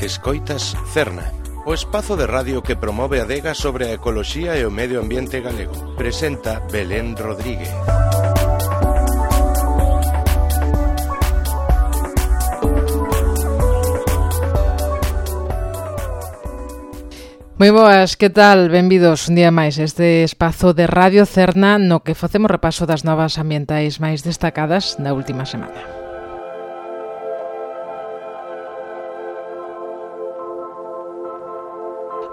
Escoitas Cerna, o espazo de radio que promove a adega sobre a ecoloxía e o medio ambiente galego. Presenta Belén Rodríguez. Moi boas, que tal? Benvidos un día máis a este espazo de Radio Cerna no que facemos repaso das novas ambientais máis destacadas da última semana.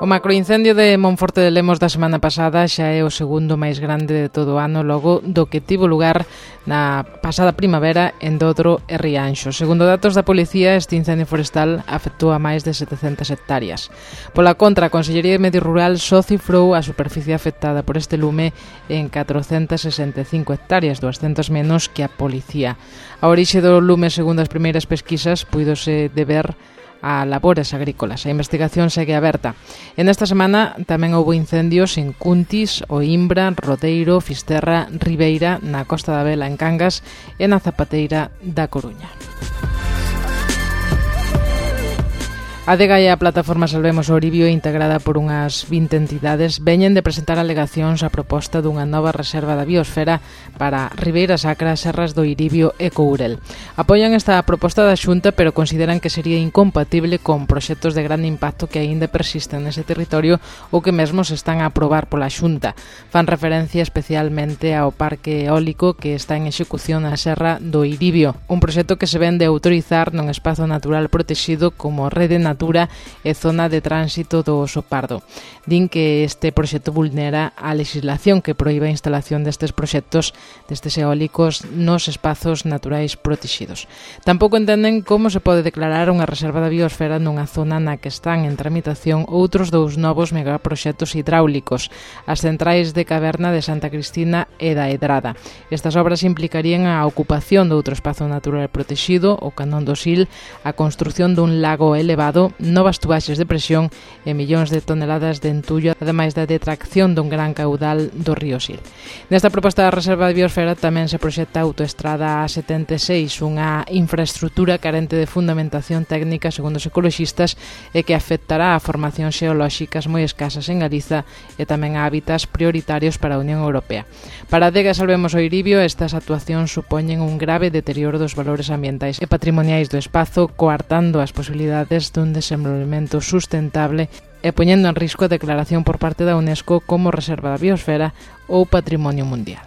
O macroincendio de Monforte de Lemos da semana pasada xa é o segundo máis grande de todo o ano, logo do que tivo lugar na pasada primavera en Dodro e Rianxo. Segundo datos da policía, este incendio forestal afectou a máis de 700 hectáreas. Pola contra, a Consellería de Medio Rural só cifrou a superficie afectada por este lume en 465 hectáreas, 200 menos que a policía. A orixe do lume, segundo as primeiras pesquisas, puidose deber a labores agrícolas. A investigación segue aberta. En esta semana tamén houbo incendios en Cuntis, Oimbra, Rodeiro, Fisterra, Ribeira, na Costa da Vela en Cangas e na Zapateira da Coruña. A adega e a plataforma Salvemos o Ouribio, integrada por unhas 20 entidades, veñen de presentar alegacións á proposta dunha nova reserva da biosfera para Ribeira Sacra, Serras do Ouribio e Courel. Apoian esta proposta da Xunta, pero consideran que sería incompatible con proxectos de grande impacto que aínda persisten nese territorio ou que mesmo se están a aprobar pola Xunta. Fan referencia especialmente ao parque eólico que está en execución na Serra do Ouribio, un proxecto que se vende a autorizar nun espazo natural protexido como rede natura e zona de tránsito do Oso Pardo. Din que este proxecto vulnera a legislación que proíbe a instalación destes proxectos, destes eólicos, nos espazos naturais protexidos. Tampouco entenden como se pode declarar unha reserva da biosfera nunha zona na que están en tramitación outros dous novos megaproxectos hidráulicos, as centrais de Caverna de Santa Cristina e da Edrada. Estas obras implicarían a ocupación de outro espazo natural protexido, o Canón do Sil, a construción dun lago elevado, novas tubaxes de presión e millóns de toneladas de entullo, ademais da detracción dun gran caudal do río Sil. Nesta proposta da reserva de biosfera tamén se proxecta a autoestrada A76, unha infraestrutura carente de fundamentación técnica segundo os ecoloxistas e que afectará a formacións xeolóxicas moi escasas en Galiza e tamén a hábitats prioritarios para a Unión Europea. Para a adega Salvemos o Ouribio, estas actuacións supoñen un grave deterioro dos valores ambientais e patrimoniais do espazo, coartando as posibilidades dun desenvolvemento sustentable e poñendo en risco a declaración por parte da UNESCO como reserva da biosfera ou patrimonio mundial.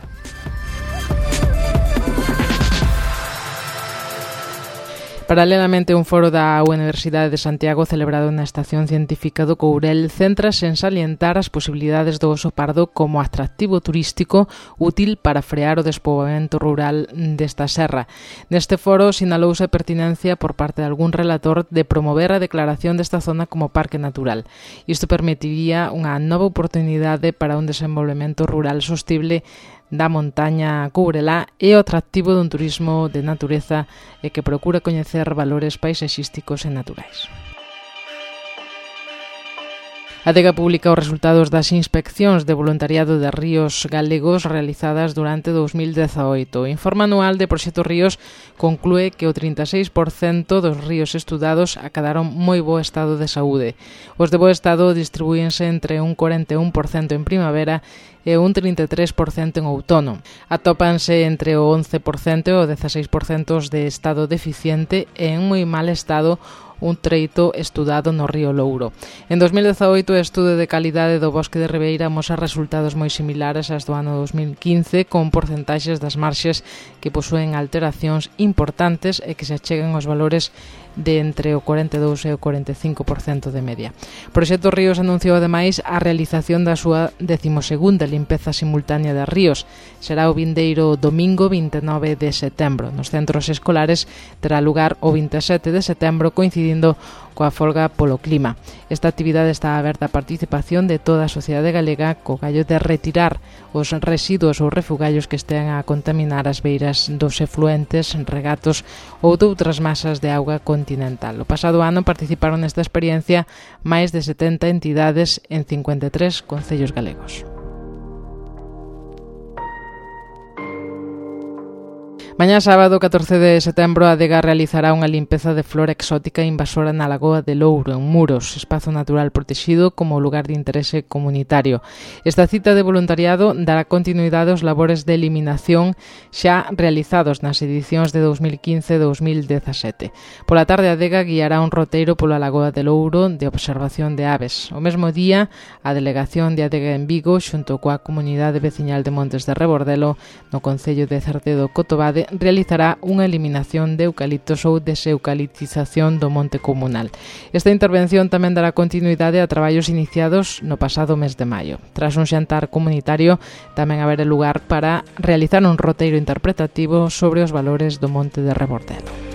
Paralelamente, un foro da Universidade de Santiago celebrado na Estación Científica do Courel céntrase en salientar as posibilidades do Oso Pardo como atractivo turístico útil para frear o despoboamento rural desta serra. Neste foro sinalouse a pertinencia por parte de algún relator de promover a declaración desta zona como parque natural. Isto permitiría unha nova oportunidade para un desenvolvemento rural sostible da montaña courelá e o atractivo dun turismo de natureza e que procura coñecer valores paisaxísticos e naturais. A adega publica os resultados das inspeccións de voluntariado de ríos galegos realizadas durante 2018. O informe anual de Proxecto Ríos conclúe que o 36% dos ríos estudados acadaron moi bo estado de saúde. Os de bo estado distribuíense entre un 41% en primavera e un 33% en outono. Atópanse entre o 11% e o 16% de estado deficiente e en moi mal estado un treito estudado no río Louro. En 2018, o estudo de calidade do bosque de Ribeira amosa resultados moi similares aos do ano 2015, con porcentaxes das marxes que posúen alteracións importantes e que se achegan aos valores de entre o 42 e o 45% de media. Proxecto Ríos anunciou ademais a realización da súa 12ª limpeza simultánea de ríos. Será o vindeiro domingo 29 de setembro. Nos centros escolares terá lugar o 27 de setembro, coincidindo coa folga polo clima. Esta actividade está aberta a participación de toda a sociedade galega co gallo de retirar os residuos ou refugallos que estean a contaminar as beiras dos efluentes, regatos ou doutras masas de auga continental. O pasado ano participaron nesta experiencia máis de 70 entidades en 53 concellos galegos. Mañá sábado, 14 de setembro, a Adega realizará unha limpeza de flora exótica invasora na Lagoa de Louro, en Muros, espazo natural protexido como lugar de interese comunitario. Esta cita de voluntariado dará continuidade aos labores de eliminación xa realizados nas edicións de 2015 e 2017. Pola tarde, a Adega guiará un roteiro pola Lagoa de Louro de observación de aves. O mesmo día, a delegación de Adega en Vigo, xunto coa comunidade veciñal de Montes de Rebordelo, no concello de Certedo-Cotobade, realizará unha eliminación de eucaliptos ou deseucaliptización do monte comunal. Esta intervención tamén dará continuidade a traballos iniciados no pasado mes de maio. Tras un xantar comunitario, tamén haberá lugar para realizar un roteiro interpretativo sobre os valores do monte de Rebordelo.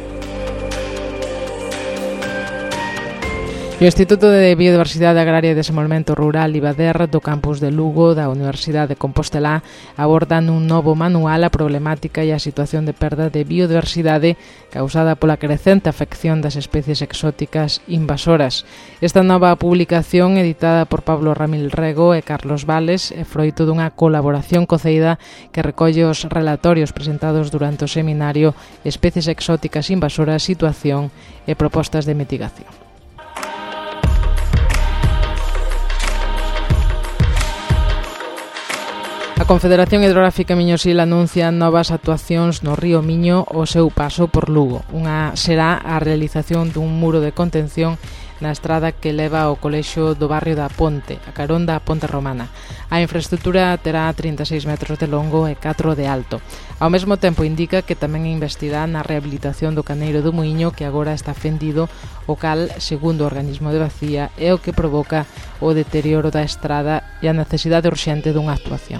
O Instituto de Biodiversidade Agraria e Desenvolvemento Rural IBADER do campus de Lugo da Universidade de Compostela aborda nun novo manual a problemática e a situación de perda de biodiversidade causada pola crecente afección das especies exóticas invasoras. Esta nova publicación, editada por Pablo Ramil Rego e Carlos Vales, é froito dunha colaboración co CEIDA que recolle os relatorios presentados durante o seminario Especies exóticas invasoras, situación e propostas de mitigación. A Confederación Hidrográfica Miñosil anuncia novas actuacións no río Miño ao seu paso por Lugo. Unha será a realización dun muro de contención na estrada que leva ao colexio do barrio da Ponte, a carón da Ponte Romana. A infraestructura terá 36 metros de longo e 4 de alto. Ao mesmo tempo indica que tamén investirá na rehabilitación do caneiro do Muiño, que agora está fendido, o cal, segundo o organismo de Bacía, é o que provoca o deterioro da estrada e a necesidade urxente dunha actuación.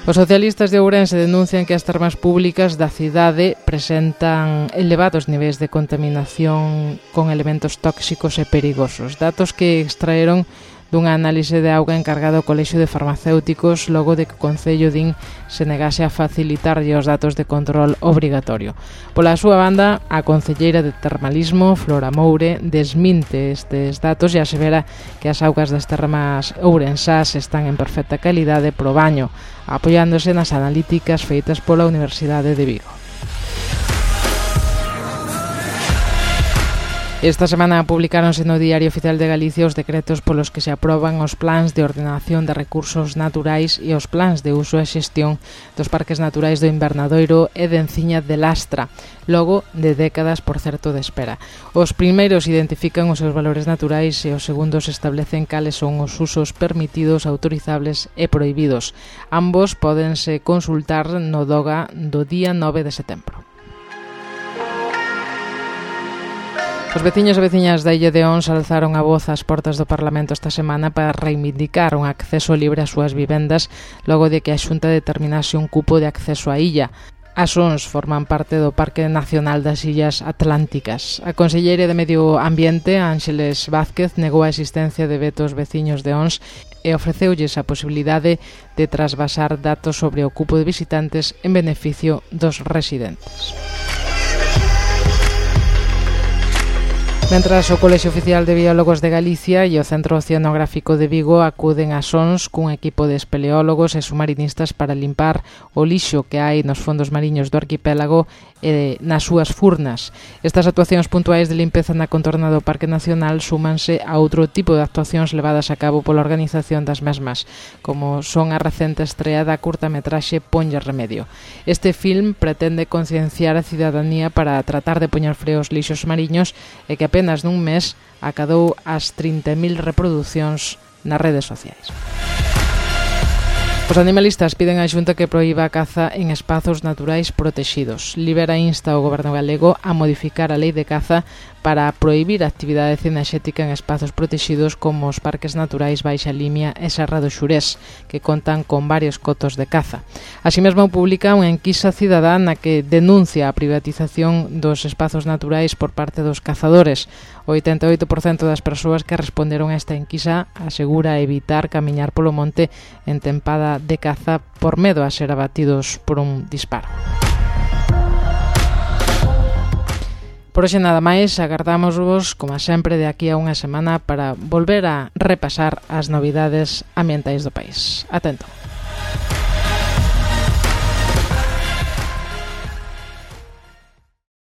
Os socialistas de Ourense denuncian que as termas públicas da cidade presentan elevados niveis de contaminación con elementos tóxicos e perigosos. Datos que extraeron dunha análise de auga encargado ao Colexio de Farmacéuticos logo de que o Concello din se negase a facilitarlle os datos de control obrigatorio. Pola súa banda, a concelleira de Termalismo, Flora Moure, desminte estes datos e asevera que as augas das termas ourensás están en perfecta calidade pro baño, apoiándose nas analíticas feitas pola Universidade de Vigo. Esta semana publicáronse no Diario Oficial de Galicia os decretos polos que se aproban os plans de ordenación de recursos naturais e os plans de uso e xestión dos parques naturais do Invernadoiro e de Enciña de Lastra, logo de décadas, por certo, de espera. Os primeiros identifican os seus valores naturais e os segundos establecen cales son os usos permitidos, autorizables e prohibidos. Ambos pódense consultar no DOGA do día 9 de setembro. Os veciños e veciñas da Illa de Ons alzaron a voz ás portas do Parlamento esta semana para reivindicar un acceso libre ás súas vivendas logo de que a Xunta determinase un cupo de acceso á illa. As Ons forman parte do Parque Nacional das Illas Atlánticas. A conselleira de Medio Ambiente, Ángeles Vázquez, negou a existencia de vetos veciños de Ons e ofreceulles a posibilidade de trasvasar datos sobre o cupo de visitantes en beneficio dos residentes. Mentras o Colexio Oficial de Biólogos de Galicia e o Centro Oceanográfico de Vigo acuden ás Ons cun equipo de espeleólogos e submarinistas para limpar o lixo que hai nos fondos mariños do arquipélago e nas súas furnas. Estas actuacións puntuais de limpeza na contorna do Parque Nacional súmanse a outro tipo de actuacións levadas a cabo pola organización das mesmas, como son a recente estrea da curtametraxe Ponlle Remedio. Este film pretende concienciar a cidadanía para tratar de poñer freo aos lixos mariños e que apenas nun mes acadou as 30.000 reproducións nas redes sociais. Os animalistas piden á Xunta que proíba a caza en espazos naturais protexidos. Libera insta ao Goberno galego a modificar a lei de caza para prohibir a actividade cinexética en espazos protexidos como os parques naturais Baixa Limia e Serra do Xurés, que contan con varios cotos de caza. Así mesmo publica unha enquisa cidadá na que denuncia a privatización dos espazos naturais por parte dos cazadores. O 88% das persoas que responderon a esta enquisa asegura evitar camiñar polo monte en tempada de caza por medo a ser abatidos por un disparo. Por hoxe nada máis, agardámosvos, como sempre, de aquí a unha semana para volver a repasar as novidades ambientais do país. Atento.